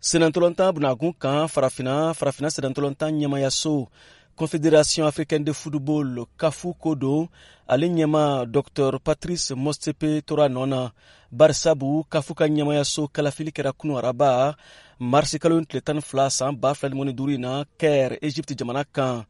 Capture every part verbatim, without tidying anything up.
Senatɔlɔntan bunakun kan, Farafina, Farafina senatɔlɔntan ɲɛmayaso, Confédération africaine de football, CAF ko don, ale ɲɛma Docteur Patrice Motsepe tora nɔ na, barisabu CAF ka ɲɛmayaso kalafili kɛra kunu araba, marisi kalo tile tan ni fila san ba fila ni duuru in na, Caire, Egypte jamana kan,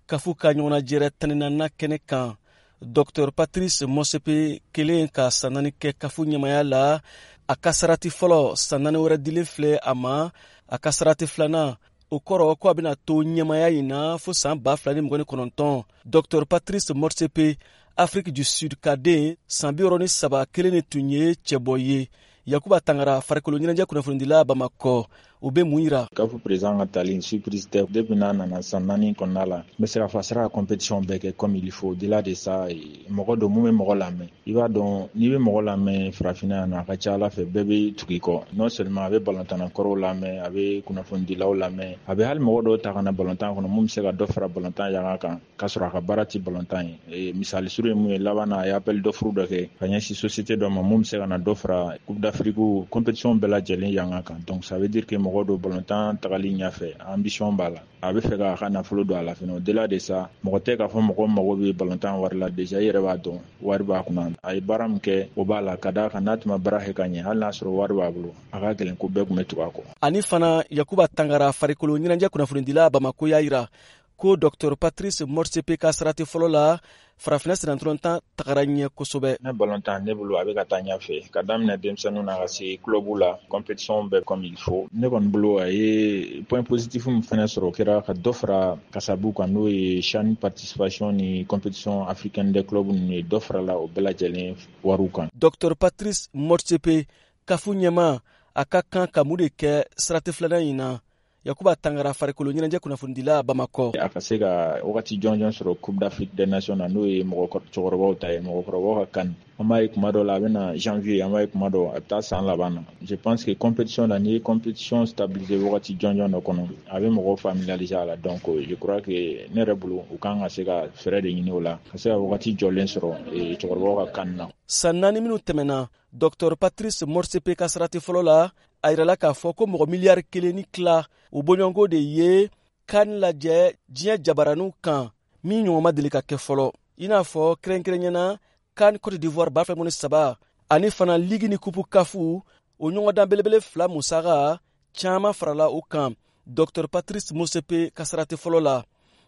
CAF ka ɲɔgɔnnajɛrɛ tan ni naaninan kɛnɛ kan. Docteur Patrice Motsepe kelen ka san naani kɛ CAF ɲɛmaya la, a ka sarati fɔlɔ, san naani wɛrɛ dilen filɛ a ma. A ka sarati filanan, o kɔrɔ ko a bɛna to ɲɛmaya in na fo san ba fila ni mugan ni kɔnɔntɔn. Docteur Patrice Motsepe, Afrique du Sud ka den, san bi wɔɔrɔ ni saba kelen de tun ye cɛbɔ ye. Yakuba Tangara, farikolo ɲɛnajɛ kunnafonidila Bamakɔ, o bɛ mun yira? CAF président ka tali, surprise tɛ. Depuis n'a nana, san naani kɔnɔna la, n bɛ se k'a fɔ a sera ka compétition bɛɛ kɛ comme il faut. Au-delà de ça, mɔgɔ don mun bɛ mɔgɔ lamɛn. I b'a dɔn, n'i bɛ mɔgɔ lamɛn farafinna yan nɔ, a ka ca ala fɛ bɛɛ bɛ tugu i kɔ. Non seulement a bɛ balontanna kɔrɔw lamɛn, a bɛ kunnafonidilaw lamɛn, a bɛ hali mɔgɔ dɔw ta ka na balontan kɔnɔ mun bɛ se ka dɔ fara balontan yanga kan, k'a sɔrɔ a ka baara tɛ balontan ye. Misali surun ye mun ye? Laban na, a ye appel d'offre dɔ kɛ ka ɲɛsin société dɔ ma mun bɛ se ka na dɔ fara Coupe d'Afrique compétition bɛɛ lajɛlen yanga kan. Donc ça veut dire que mɔgɔ don, balontan tagali ɲɛfɛ, ambition b'a la, a bɛ fɛ k'a ka nafolo don a la fɛnɛ. Au-delà de ça, mɔgɔ tɛ k'a fɔ mɔgɔ mago bɛ balontan wari la. Déjà i yɛrɛ b'a dɔn, wari b'a kunna, a ye baara min kɛ, o b'a la. Ka d'a kan n'a tun ma baara kɛ ka ɲɛ, hali n'a sɔrɔ wari b'a bolo, a ka gɛlɛn ko bɛɛ tun bɛ tugu a kɔ. Ani fana, Yakuba Tangara, farikolo ɲɛnajɛ kunnafonidila Bamako, y'a yira ko Docteur Patrice Motsepe ka sarati fɔlɔ la, Farafinna senatɔlɔntan tagara ɲɛ kosɛbɛ. Ne balontan, ne bolo, a bɛ ka taa ɲɛfɛ, ka daminɛ denmisɛnninw na ka se club la, compétition bɛɛ comme il faut. Ne kɔni bolo, a ye point positif min fɛnɛ sɔrɔ, o kɛra ka dɔ fara kasabu kan, n'o ye CHAN participation ni compétition africaine des clubs ninnu ye, dɔ farala o bɛɛ lajɛlen wariw kan. Docteur Patrice Motsepe, CAF ɲɛma, a ka kan ka mun de kɛ sarati filanan in na? Yakuba Tangara, farikolo ɲɛnajɛ kunnafonidila Bamakɔ. A ka se ka wagati jɔnjɔn sɔrɔ Coupe d'Afrique des Nations na, n'o ye mɔgɔ cɛkɔrɔbaw ta ye, mɔgɔkɔrɔbaw ka CAN. An b'a ye kuma dɔ la a bɛ na janvier, an b'a ye kuma dɔ a bɛ taa san laban na. Je pense que compétition na, n'i ye compétition stabiliser wagati jɔnjɔn dɔ kɔnɔ, a bɛ mɔgɔw familiariser a la. Donc je crois que ne yɛrɛ bolo, u kan ka se ka fɛɛrɛ de ɲini o la, ka se ka wagati jɔlen sɔrɔ cɛkɔrɔbaw ka CAN na. San naani minnu tɛmɛna, Docteur Patrice Motsepe ka sarati fɔlɔ la, a yirala k'a fɔ ko mɔgɔ miliyari kelen ni tila o bɔɲɔgɔnko de ye CAN lajɛ diɲɛ jabaraninw kan, min ɲɔgɔn ma deli ka kɛ fɔlɔ, i n'a fɔ kɛrɛnkɛrɛnyana CAN Cote d'Ivoire ba fila ni saba, ani fana ligue ni coupe CAF, o ɲɔgɔndan belebele fila musaka caaman farala o kan Docteur Patrice Motsepe ka sarati fɔlɔ la.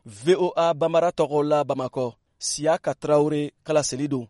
V O A Banbara tɔgɔ la, Bamakɔ, Siyaka Tarawure kalaseli don.